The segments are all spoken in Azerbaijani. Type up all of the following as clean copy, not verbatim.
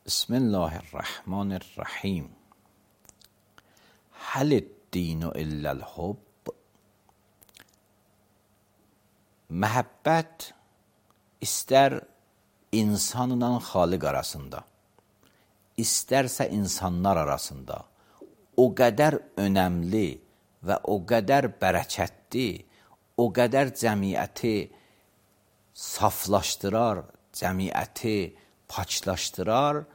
Bismillahirrahmanirrahim. Həl-dinu illəl-hubb. Məhəbbət istər insanla xaliq arasında, istərsə insanlar arasında o qədər önəmli və o qədər bərəkətli, o qədər cəmiyyəti saflaşdırar, cəmiyyəti paçlaşdırar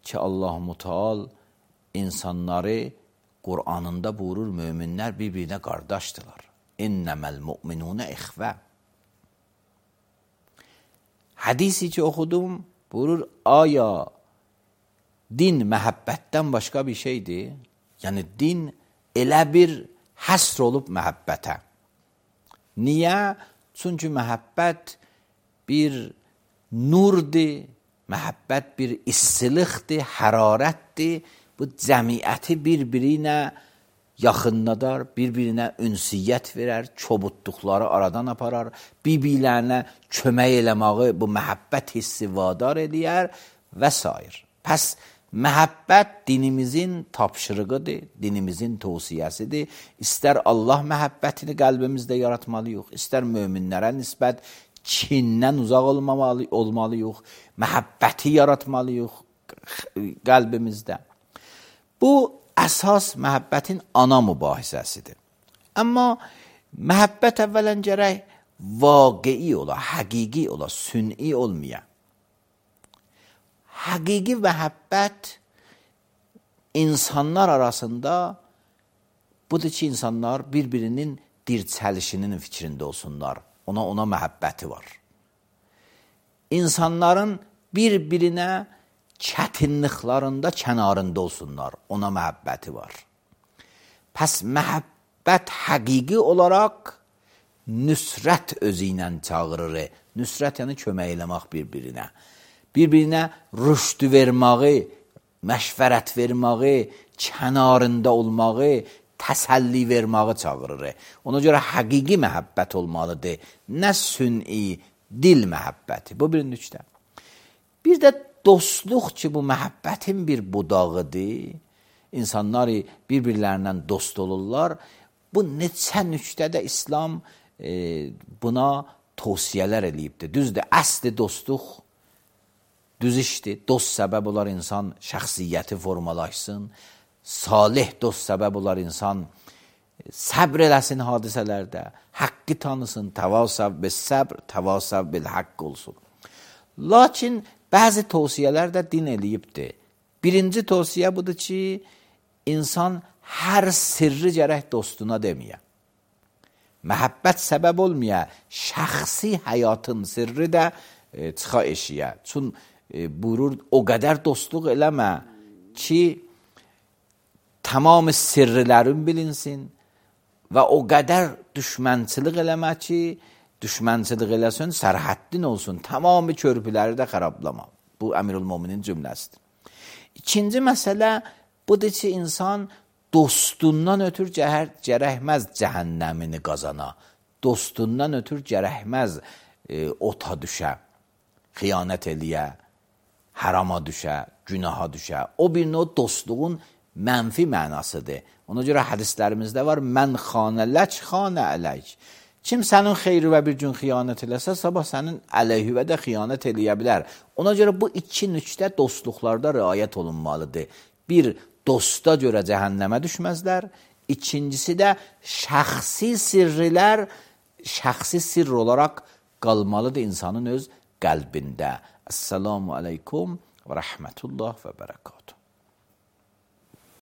ki, Allah-u Teala insanları Qur'anında buyurur, möminlər bir-birinə qardaşdırlar. İnnəməl mü'minunə ixvə. Hədisi ki oxudum, buyurur, aya din məhəbbətdən başqa bir şeydir? Yəni, din elə bir həsr olub məhəbbətə. Niyə? Çünki məhəbbət bir nurdur, məhəbbət bir istilikdir, hərarətdir. Bu cəmiyyəti bir-birinə yaxınladar, bir-birinə ünsiyyət verər, çobutduqları aradan aparar, bir-birlərinə kömək eləməyi bu məhəbbət hissi vadar eləyər və s. Pəs məhəbbət dinimizin tapşırığıdır, dinimizin tövsiyəsidir. İstər Allah məhəbbətini qəlbimizdə yaratmalıyıq, istər möminlərə nisbət kindən uzaq olmalıyıq, məhəbbəti yaratmalıyıq qəlbimizdə. Bu, əsas məhəbbətin ana mübahisəsidir. Amma məhəbbət əvvələn gərək vaqei ola, həqiqi ola, sün'i olmaya. Həqiqi məhəbbət insanlar arasında budur ki, insanlar bir-birinin dirçəlişinin fikrində olsunlar. Ona məhəbbəti var. İnsanların bir-birinə çətinliklərində kənarında olsunlar. Ona məhəbbəti var. Pəs məhəbbət həqiqi olaraq nüsrət özü ilə çağırır. Nüsrət yəni kömək eləmək bir-birinə. Bir-birinə rüşdü verməyi, məşvərət verməyi, kənarında olmağı, təsəlli verməyi çağırır. Ona görə həqiqi məhəbbət olmalıdır. Nə sün'i, dil məhəbbəti. Bu bir nüqtə. Bir də dostluq ki, bu məhəbbətin bir budağıdır. İnsanlar bir-birlərindən dost olurlar. Bu neçə nüqtədə İslam buna tövsiyələr eləyibdir. Düzdür, əsli dostluq düz işdir. Dost səbəb olar insan şəxsiyyəti formalaşsın. Salih dost səbəb olar insan səbr eləsin hadisələrdə, haqqı tanısın, təvasav bil səbr, təvasav bil haqq olsun. Lakin bəzi tövsiyələr də din eləyibdir. Birinci tövsiyə budur ki, insan hər sirri gərək dostuna deməyə. Məhəbbət səbəb olmaya, şəxsi həyatın sirri də çıxa eşiyə. Çün buyurur, o qədər dostluq eləmə ki, tamam sirrilərin bilinsin və o qədər düşmənçilik eləmə ki, düşmənçilik eləsin, sərhəddin olsun, tamamı körpüləri də xarablama. Bu Əmirül-Möminin cümləsidir. İkinci məsələ budur ki, insan dostundan ötür gərəkməz cəhənnəmini qazana, dostundan ötür gərəkməz ota düşə, xiyanət eləyə, harama düşə, günaha düşə. O birinin o dostluğun mənfi mənasıdır. Ona görə hədislərimizdə var, mən xanələk, xanə ələk. Kim sənin xeyri və bir gün xiyanət eləsə, sabah sənin əleyhüvə də xiyanət eləyə bilər. Ona görə bu iki nüqtə dostluqlarda riayət olunmalıdır. Bir, dosta görə cəhənnəmə düşməzlər. İkincisi də şəxsi sirrilər, şəxsi sirr olaraq qalmalıdır insanın öz qəlbində. Əssalamu aleykum və rəhmətullah və bərəkatuhu.